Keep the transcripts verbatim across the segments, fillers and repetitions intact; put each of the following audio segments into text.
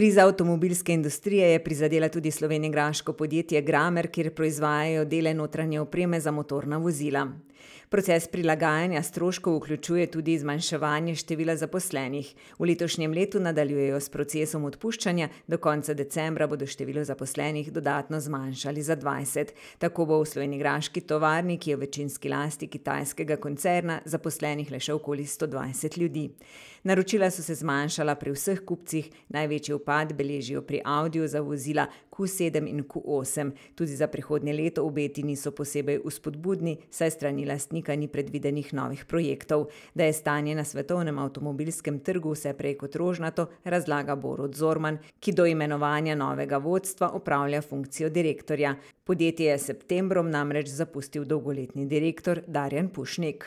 Kriza avtomobilske industrije je prizadela tudi slovenjgraško podjetje Gramer, kjer proizvajajo dele notranje opreme za motorna vozila. Proces prilagajanja stroškov vključuje tudi zmanjševanje števila zaposlenih. V letošnjem letu nadaljujejo s procesom odpuščanja, do konca decembra bodo število zaposlenih dodatno zmanjšali za dvajset. Tako bo v slovenjgraški tovarni, ki je v večinski lasti kitajskega koncerna, zaposlenih le še okoli sto dvajset ljudi. Naročila so se zmanjšala pri vseh kupcih, največji upad beležijo pri Audiju za vozila Q sedem in Q osem. Tudi za prihodnje leto obeti niso posebej vzpodbudni, saj strani lastnika ni predvidenih novih projektov. Da je stanje na svetovnem avtomobilskem trgu vse prej kot rožnato, razlaga Borut Zorman, ki do imenovanja novega vodstva opravlja funkcijo direktorja. Podjetje je s septembrom namreč zapustil dolgoletni direktor Darjan Pušnik.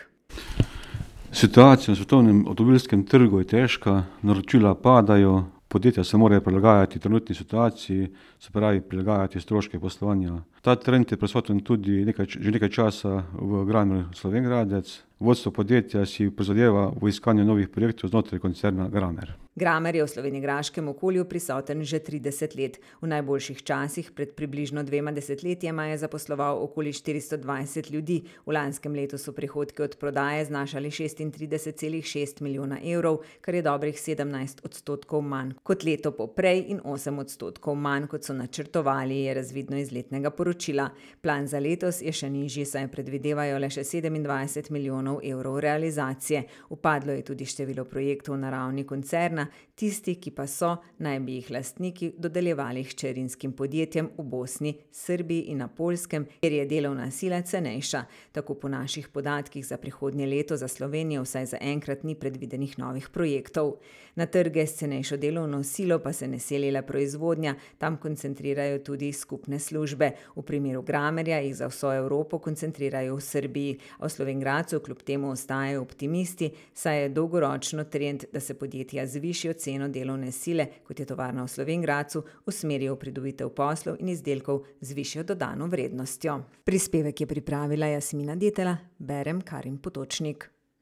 Situacija na svetovnem avtomobilskem trgu je težka, naročila padajo, podjetja se morajo prilagajati trenutni situaciji, se pravi prilagajati stroške poslovanja. Ta trend je prisoten tudi nekaj, že nekaj časa v Gramer Slovenj Gradec. Vodstvo podjetja si prizadeva v iskanju novih projektov znotraj koncerna Gramer. Gramer je v slovenjgraškem okolju prisoten že trideset let. V najboljših časih pred približno dvema desetletjema je zaposloval okoli štiristo dvajset ljudi. V lanskem letu so prihodki od prodaje znašali šestintrideset celih šest milijona evrov, kar je dobrih sedemnajst odstotkov manj kot leto poprej in osem odstotkov manj, kot so načrtovali, je razvidno iz letnega poročila. Plan za letos je še nižji, saj predvidevajo le še sedemindvajset milijonov evrov realizacije. Upadlo je tudi število projektov na ravni koncerna, tisti, ki pa so, naj bi jih lastniki dodeljevali hčerinskim podjetjem v Bosni, Srbiji in na Poljskem, kjer je delovna sila cenejša. Tako po naših podatkih za prihodnje leto za Slovenijo vsaj za enkrat ni predvidenih novih projektov. Na trge s cenejšo delovno silo pa se ne seli le proizvodnja, tam koncentrirajo tudi skupne službe. V primeru Gramerja jih za vso Evropo koncentrirajo v Srbiji, a v Slovenj Gradcu kljub temu ostajajo optimisti, saj je dolgoročno trend, da se podjetja z višjo ceno delovne sile, kot je tovarna v Slovenj Gradcu, usmerijo v pridobitev poslov in izdelkov z višjo dodano vrednostjo. Prispevek je pripravila Jasmina Detela, berem Karin Potočnik.